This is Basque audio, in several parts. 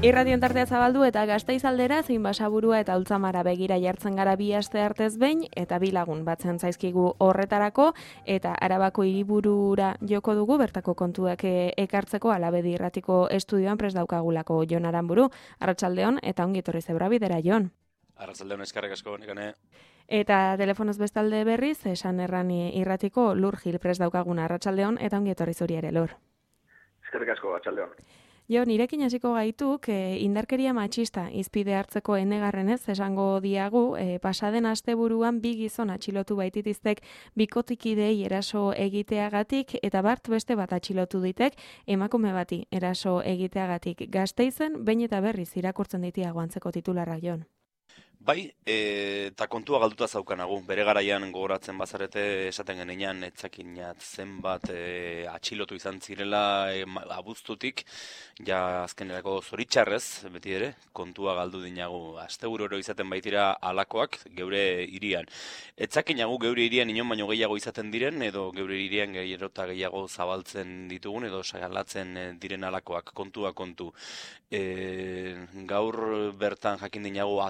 Irration tartea zabaldu eta Gasteiz aldera zein Basaburua eta Ultzamara begira jartzen gara bi aste artez behin eta bi lagun batzen zaizkigu horretarako eta Arabako hiriburura joko dugu bertako kontuak ekartzeko Alabedi Irratiko estudioan prest daukagulako Jon Aranburu. Arratsaldeon eta ongi etorri Zebrabidera, Jon. Arratsaldeon, eskerrik asko, Nekane. Eta telefonoz bestalde berriz, esan erran Irratiko Lur Gil prest daukaguna. Arratsaldeon eta ongi etorri zuri ere, Lur. Eskerrik asko, arratsaldeon. Jo, nirekin hasiko gaituk, indarkeria matxista izpide hartzeko enegarrenez esango diagu, pasaden asteburuan bi gizon atxilotu baititiztek bikotikidei eraso egiteagatik eta bart beste bat atxilotu ditek emakume bati eraso egiteagatik. Gasteizen behin eta berriz irakurtzen ditiago antzeko titularrak, Jon. Bai, eta kontua galduta zaukanagu. Bere garaian gogoratzen bazarete esaten genean etzakinat zenbat atxilotu izan zirela abuztutik, ja azkenerako zoritxarrez, beti ere, kontua galdu dinagu. Astebururo izaten baitira alakoak geure hirian. Etzakinagu geure hirian inon baino gehiago izaten diren, edo geure hirian gerota gehiago zabaltzen ditugun, edo sagalatzen diren alakoak, kontua kontu. Gaur bertan jakin dinagu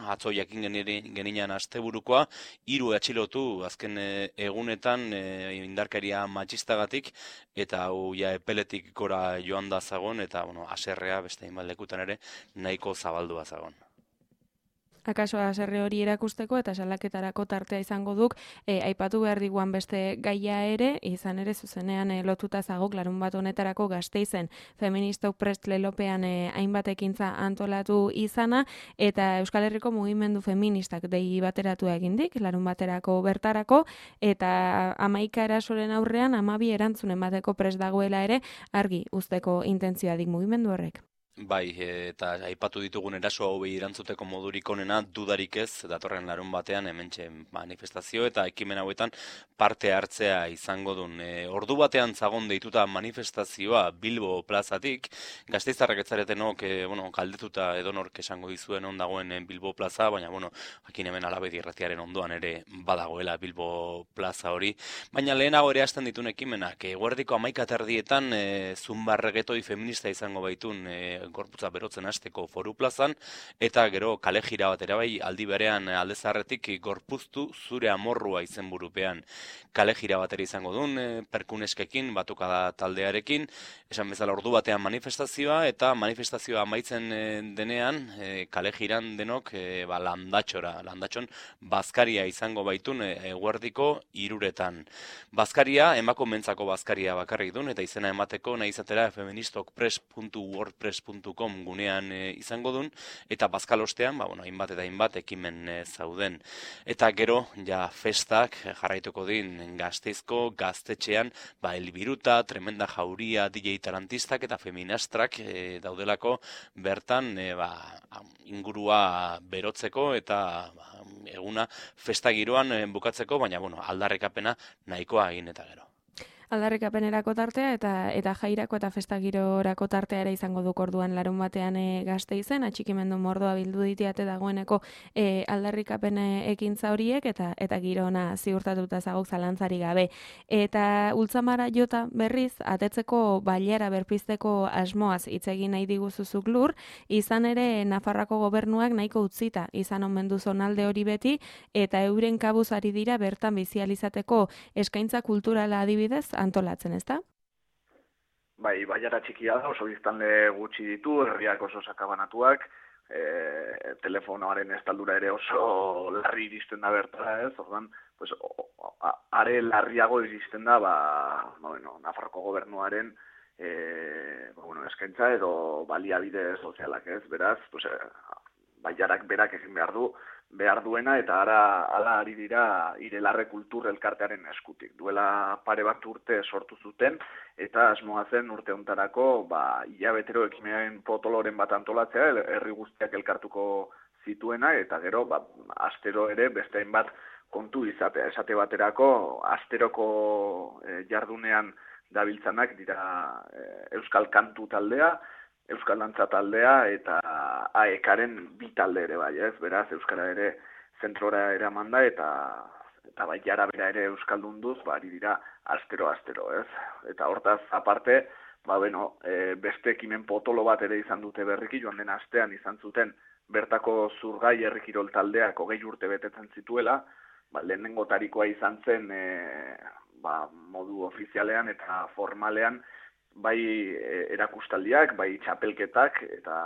atzo jakin genian asteburukoa, 3 atxilotu azken egunetan indarkeria matxistagatik, eta hau ja epeletik gora joan da zagon, eta haserrea beste hainbat lekutan ere nahiko zabaldua zagon. Akaso haserre hori erakusteko eta salaketarako tartea izango duk, aipatu behar diguan beste gaia ere, izan ere zuzenean lotuta zagok larun bat honetarako Gasteizen feministok prest lelopean hainbat ekintza antolatu izana, eta Euskal Herriko mugimendu feministak dei bateratu egindik, larun baterako bertarako, eta 11 erasoren aurrean 12 erantzunen bateko prest dagoela ere argi uzteko intentzioa dik mugimendu horrek. Bai, eta aipatu ditugun eraso hau erantzuteko modurik onena dudarik ez, datorren larun batean hementxe manifestazio eta ekimen hauetan parte hartzea izango duen. Ordu batean zagon deituta manifestazioa Bilbo plazatik, gasteiztarrak etzaretenok, kaldetuta edonork esango dizuen on dagoen Bilbo plaza, baina, jakin hemen Alabedi Irratiaren ondoan ere badagoela Bilbo plaza hori. Baina lehenago ere hasten ditun ekimenak, eguerdiko 11:00 zumbarregetoi feminista izango baitun, gorputza berotzen hasteko Foru plazan, eta gero kale jira bat bai aldi berean aldezarretik gorpuztu zure amorrua izenburupean. Kale jira bat ere izango duen, perkuneskekin, batuka taldearekin, esan bezala ordu batean manifestazioa, eta manifestazioa amaitzen denean, kale jiran denok landatxon bazkaria izango baitun eguerdiko 3:00. Bazkaria, emakumeentzako bazkaria bakarrik duen, eta izena emateko nahi izatera feministokpress.wordpress.com gunean izango duen, eta bazkalostean, hainbat eta hainbat ekimen zauden. Eta gero, ja festak jarraituko din Gasteizko gaztetxean, Elbiruta, Tremenda Jauria, DJ Tarantistak eta Feminastrak daudelako bertan ingurua berotzeko eta eguna festa giroan bukatzeko, baina aldarrikapena nahikoa egin eta gero. Aldarrikapenerako tartea eta jairako eta festagirorako tartea ere izango duk orduan larun batean Gasteizen, atxikimendu mordoa bildu ditiate dagoeneko aldarrikapen ekintza horiek eta girona ziurtatuta zagok zalantzari gabe. Eta Ultzamara jota berriz, atetzeko bailara berpizteko asmoaz hitz egin nahi diguzuzuk Lur, izan ere Nafarroako gobernuak nahiko utzita izan omen du zonalde hori beti, eta euren kabuz ari dira bertan bizializateko eskaintza kulturala adibidez antolatzen, ezta? Bai, baiara txikia da, oso biztanle gutxi ditu, herriak oso sakabanatuak, telefonoaren estaldura ere oso larri iristen da bertara, ez? Ordan, are larriago iristen da, Nafarroko gobernuaren eskaintza edo baliabide sozialak, ez? Beraz, baiarak berak egin behar duena, eta hala ari dira Irelarre Kultur elkartearen eskutik. Duela pare bat urte sortu zuten, eta asmoa zen urte hontarako hilabetero ekimen potoloren bat antolatzea, herri guztiak elkartuko zituena, eta gero astero ere beste hainbat kontu izatea. Esate baterako, asteroko jardunean dabiltzanak dira Euskal Kantu taldea, Euskal Dantza taldea eta AEKaren 2 talde ere bai, ez? Beraz, Euskara ere zentrora eraman da eta baiara bera ere Euskaldunduz, ari dira astero, ez? Eta hortaz, aparte, beste ekimen potolo bat ere izan dute berriki, joan den astean izan zuten bertako Zurgai herrikirol taldeak 20 urte betetzen zituela, lehenengotarikoa izan zen modu ofizialean eta formalean, bai erakustaldiak, bai txapelketak, eta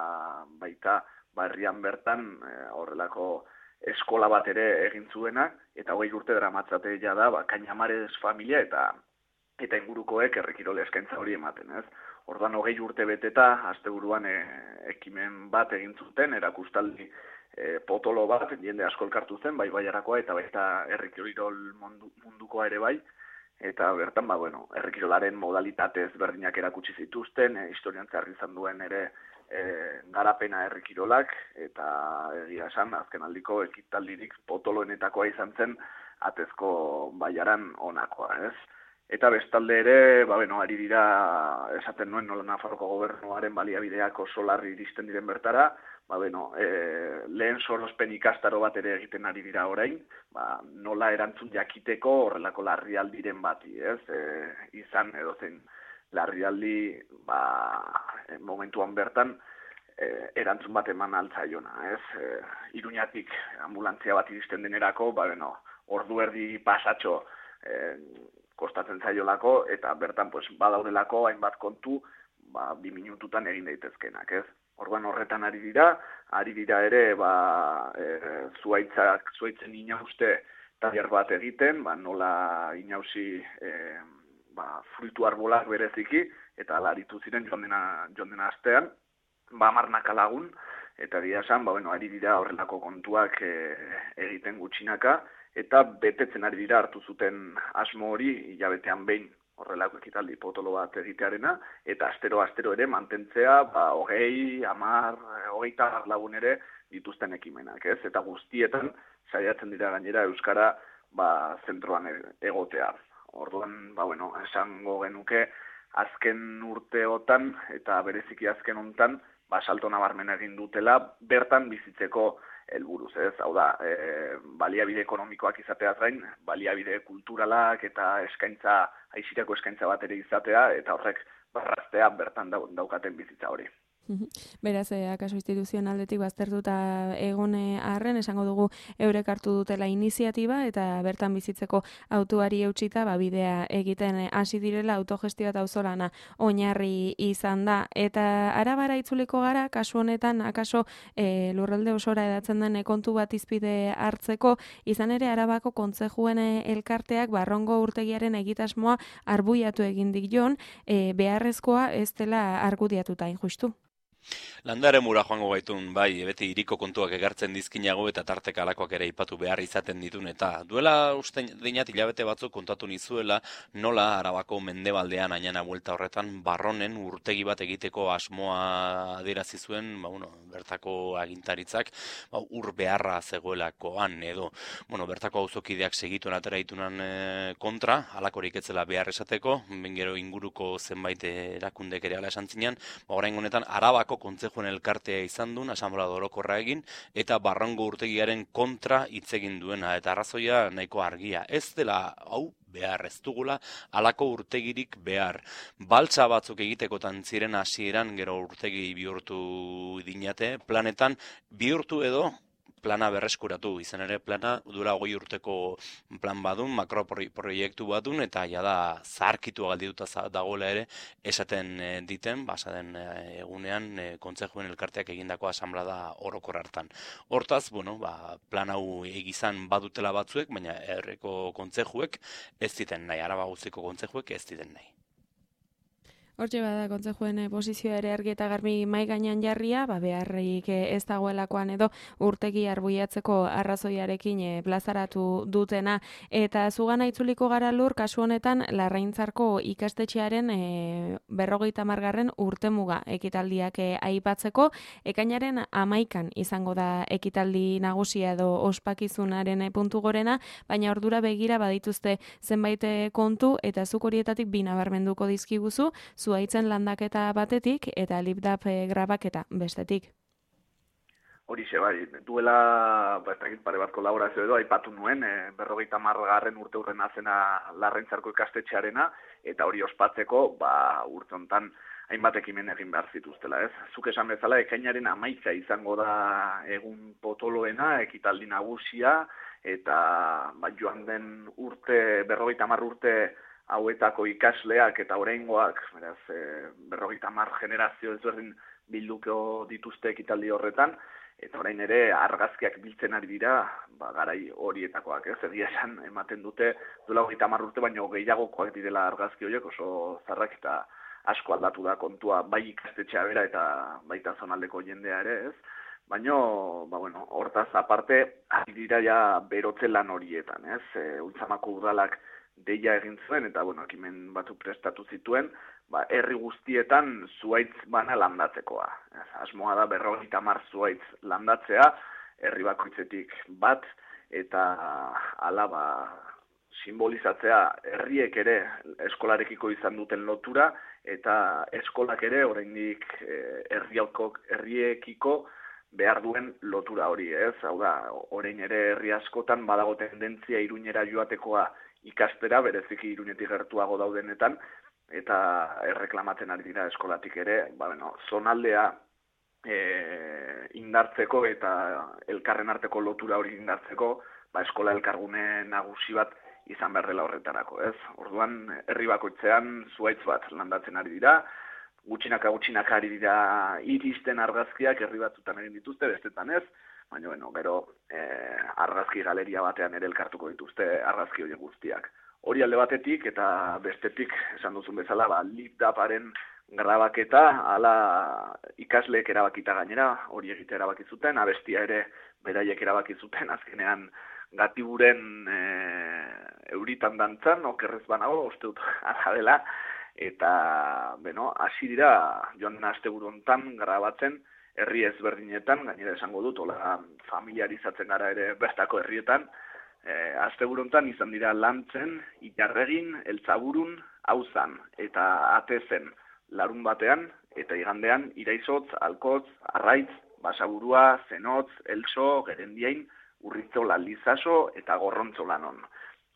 baita herrian bertan horrelako eskola bat ere egin zuena, eta 20 urte daramatzate da, Kañamares familia eta ingurukoek herrikirol eskaintza hori ematen, ez? Orduan 20 urte beteta, asteburuan ekimen bat egin zuten, erakustaldi potolo bat, jende asko elkartu zen, bai baiarakoa eta baita herrikirol mundukoa ere bai, eta bertan, herrikirolaren modalitate ezberdinak erakutsi zituzten, historian zehar izan duen ere garapena herrikirolak, eta egia esan, azken aldiko ekitaldirik potoloenetakoa izan zen, atezko baiaran onakoa, ez? Eta bestalde ere, ari dira, esaten nuen nola Nafarroko gobernuaren baliabideak oso larri iristen diren bertara, lehen sorospen ikastaro bat ere egiten ari dira orain, nola erantzun jakiteko horrelako larrialdiren bati, ez? Izan edozein larrialdi momentuan bertan erantzun bat eman altzaiona, ez? Iruñatik ambulantzia bat iristen denerako, ordu erdi pasatxo kostatzen zaiolako, eta bertan badaudelako hainbat kontu 2 minututan egin daitezkenak, ez? Orduan horretan ari dira ere zuaitzen inauste tailer bat egiten, nola inausi fruitu arbolak bereziki, eta laritu ziren joan dena astean, 10 lagun, eta egia esan, ari dira horrelako kontuak egiten gutxinaka, eta betetzen ari dira hartu zuten asmo hori hilabetean behin horrelako ekitaldi potolo bat egitearena, eta astero ere mantentzea 20, 10, 20 lagun ere dituzten ekimenak, ez? Eta guztietan saiatzen dira gainera euskara zentroan egotea. Orduan, esango genuke azken urteotan eta bereziki azken hontan salto nabarmena egin dutela bertan bizitzeko helburuz, ez? Hau da, baliabide ekonomikoak izateaz gain, baliabide kulturalak eta aisirako eskaintza bat ere izatea, eta horrek barraztea bertan daukaten bizitza hori. Beraz, akaso instituzionaldetik baztertuta egon arren, esango dugu eurek hartu dutela iniziatiba, eta bertan bizitzeko autuari eutsita, bidea egiten hasi direla autogestioa eta auzolana oinarri izan da. Eta Arabara itzuliko gara, kasu honetan, akaso lurralde osora edatzen den kontu bat izpide hartzeko, izan ere Arabako kontzejuen elkarteak Barrongo urtegiaren egitasmoa arbuiatu egin jon, beharrezkoa ez dela argudiatuta, injustu. Landare mura joango gaitun, beti hiriko kontuak egartzen dizkinago eta tarteka alakoak ere ipatu behar izaten ditun, eta duela uste dinat hilabete batzuk kontatu nizuela nola Arabako mendebaldean ainana buelta horretan Barronen urtegi bat egiteko asmoa adierazi zuen, bertako agintaritzak ur beharra zegoelakoan edo, bertako auzokideak segituen atera ditunan kontra, alakorik etzela behar esateko, gero inguruko zenbait erakundek ere ala esan zinean, orain honetan Arabako kontzejuen elkartea izan duen, asanblada orokorra egin, eta Barrongo urtegiaren kontra hitz egin duena, eta arrazoia nahiko argia. Ez dela, behar ez dugula, halako urtegirik behar. Baltza batzuk egitekotan ziren hasieran gero urtegi bihurtu dinate, planetan bihurtu edo, plana berreskuratu, izan ere plana duela 20 urteko plan badun, makroproiektu badun, eta jada zaharkitu galdituta dagoela ere esaten diten, basaden egunean kontzejuen elkarteak egindako asanblada orokor hartan. Hortaz, plan hau egizan badutela batzuek, baina herriko kontzejuek ez diten nahi, Araba guztiko kontzejuek ez diten nahi. Hortxe bada kontzejuen posizioa ere argi eta garbi mai gainean jarria, beharrik ez dagoelakoan edo urtegi arbuiatzeko arrazoiarekin plazaratu dutena. Eta zugana itzuliko gara lur, kasu honetan Larraintzarko ikastetxearen 50. urtemuga ekitaldiak aipatzeko, ekainaren 11 izango da ekitaldi nagusia edo ospakizunaren puntu gorena, baina ordura begira badituzte zenbait kontu, eta zuk horietatik bi nabarmenduko dizkiguzu, zuaitzen landaketa batetik eta lipdap grabaketa bestetik. Horixe, duela pare bat kolaborazio edo aipatu nuen, 50. urte urrena zena Larraintzarko ikastetxearena, eta hori ospatzeko urte honetan hainbat ekimen egin behar zituztela, ez? Zuk esan bezala, ekainaren 11 izango da egun potoloena, ekitaldi nagusia, eta joan den urte, 50 urte hauetako ikasleak eta oraingoak, beraz, 50 generazio ezberdin bilduko dituzte ekitaldi horretan, eta orain ere argazkiak biltzen ari dira, garai horietakoak, ez? Egia esan ematen dute duela 30 urte baino gehiagokoak direla argazki horiek, oso zarrak eta asko aldatu da kontua, bai ikastetxea bera eta baita zonaldeko jendea ere, ez? Baina, hortaz aparte, ari dira ja berotze lan horietan, ez? Ultzamako udalak deia egin zuen, eta, ekimen batu prestatu zituen, herri guztietan zuhaitz bana landatzekoa. Asmoa da 50 zuhaitz landatzea, herri bakoitzetik bat, eta hala simbolizatzea herriek ere eskolarekiko izan duten lotura, eta eskolak ere oraindik herriekiko behar duen lotura hori, ez? Hau da, orain ere herri askotan badago tendentzia Iruñera joatekoa ikastera, bereziki Iruñetik gertuago daudenetan, eta erreklamatzen ari dira eskolatik ere, zonaldea indartzeko eta elkarren arteko lotura hori indartzeko, eskola elkargune nagusi bat izan behar dela horretarako, ez? Orduan, herri bakoitzean zuhaitz bat landatzen ari dira, gutxinaka ari dira iristen argazkiak herri batzutan egin dituzte, bestetan ez, baina, gero argazki galeria batean ere elkartuko dituzte argazki horiek guztiak. Hori alde batetik eta bestetik, esan duzun bezala, lipdaparen grabaketa, hala ikasleek erabakita gainera, hori egitea erabaki zuten, abestia ere beraiek erabaki zuten, azkenean Gatiburen euritan dantzan, okerrez banago, uste dut ala dela, eta, hasi dira, joan den asteburu hontan grabatzen, herri ezberdinetan, gainera esango dut, hola familiarizatzen gara ere bertako herrietan, asteburu hontan izan dira Lantzen, Ilarregin, Eltzaburun, Auzan eta Atezen larun batean, eta igandean Iraizotz, Alkotz, Arraitz, Basaburua, Zenotz, Elso, Gerendiain, Urritzola, Lizaso eta Gorrontzolanon.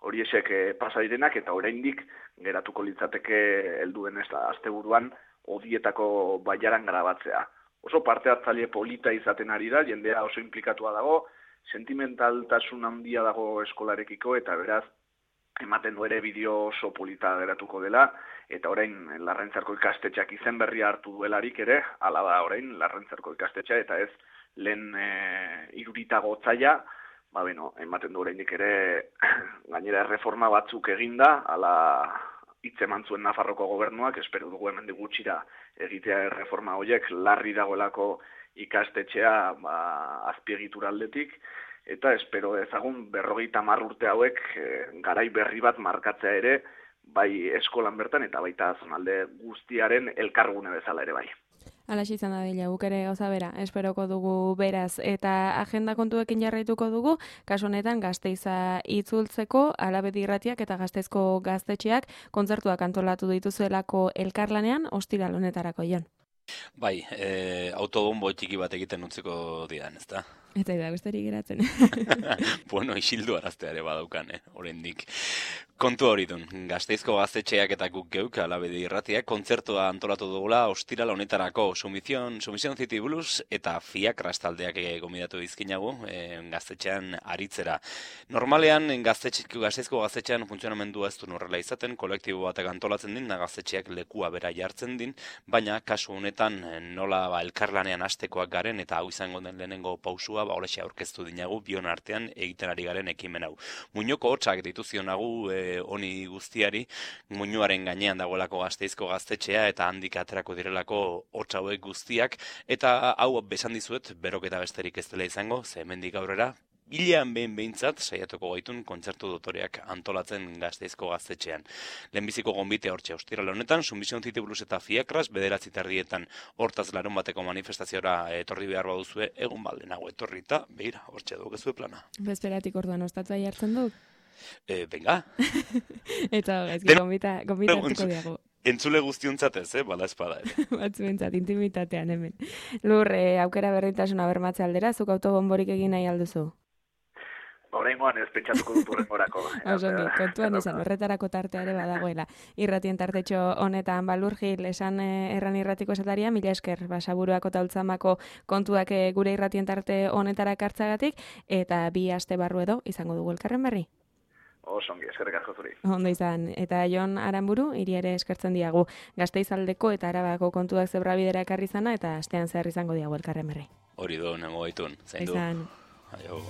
Horiexek pasa direnak eta oraindik geratuko litzateke helduen asteburuan odietako baiaran grabatzea. Oso parte hartzaile polita izaten ari da, jendea oso inplikatua dago, sentimentaltasun handia dago eskolarekiko eta beraz ematen du ere bideo oso polita geratuko dela, eta orain Larraintzarko ikastetxeak izen berria hartu duelarik ere, hala da orain Larraintzarko ikastetxea eta ez lehen iruritago otzaia, ematen du oraindik ere gainera erreforma batzuk eginda, hala hitz eman zuen Nafarroko gobernuak, espero dugu hemendik gutxira egitea erreforma horiek larri dagoelako ikastetxea azpiegitura aldetik, eta espero ezagun 50 urte hauek garai berri bat markatzea ere, bai eskolan bertan eta baita zonalde guztiaren elkargune bezala ere bai. Alaxe izan da dela, guk ere gauza bera, esperoko dugu beraz, eta agenda kontuekin jarraituko dugu, kasu honetan Gasteiza itzultzeko, Alabedi Irratiak eta Gasteizko gaztetxeak kontzertuak antolatu dituzuelako elkarlanean, ostiral honetarako, Jon. Bai, autobombo txiki bat egiten utziko didan, ezta? Eta da besterik geratzen. Bueno, isildu araztea ere badaukan, oraindik. Kontu hori dun, Gasteizko gaztetxeak eta guk geuk, Alabedi Irratiak, kontzertua antolatu dugula ostiral honetarako Sumizion City Blues eta Fiakras taldeak gomidatu dizkinagu gaztetxean aritzera. Normalean, Gasteizko gaztetxean funtzionamendua ez du horrela izaten, kolektibo batek antolatzen din, gaztetxeak lekua bera jartzen din, baina kasu honetan nola elkarlanean hastekoak garen eta hau izango den lehenengo pausua, horrexe aurkeztu dinagu, bion artean egiten ari garen ekimen hau. Muñoko hotxak dituzionagu honi guztiari, muñuaren gainean dagoelako Gasteizko gaztetxea eta handik aterako direlako hotx hauek guztiak, eta hau besan dizuet, beroketa besterik ez dela izango, ze hemendik aurrera, hilean behintzat saiatuko gaitun kontzertu dotoreak antolatzen Gasteizko gaztetxean. Lehenbiziko gonbite hortxe ostiral honetan, Sumizion City Blues eta Fiakras, 9:00 hortaz larun bateko manifestaziora etorri behar baduzue, egun baldenago etorri eta, begira, hortxe dukezue plana. Bezperatik orduan ostatua jartzen duk? Venga. Eta gaizki, gombita hartuko diago. Entzule guztiontzat bala espada ere. Batzuentzat, intimitatean hemen. Lur, aukera berrintasuna bermatze aldera, zuk autobomborik egin nahi alduzu? Oraingoan ez pentsatuko dut urrengorako. Osongi, kontuan izan, horretarako tartea ere badagoela. Irratien tartetxo honetan Balur Gil, esan erran irratiko esataria, mila esker, Basaburuako eta Ultzamako kontuak gure irratien tarte honetara ekartzagatik, eta bi aste barru edo izango dugu elkarren berri. Osongi, eskerrik asko zuri. Ondo izan, eta Jon Aranburu, hiri ere eskertzen diagu. Gasteizaldeko eta Arabako kontuak zebrabidera ekarri zana, eta astean zer izango diagu elkarren berri. Hori do, nengo gaitun, zain du. Izan. Aio.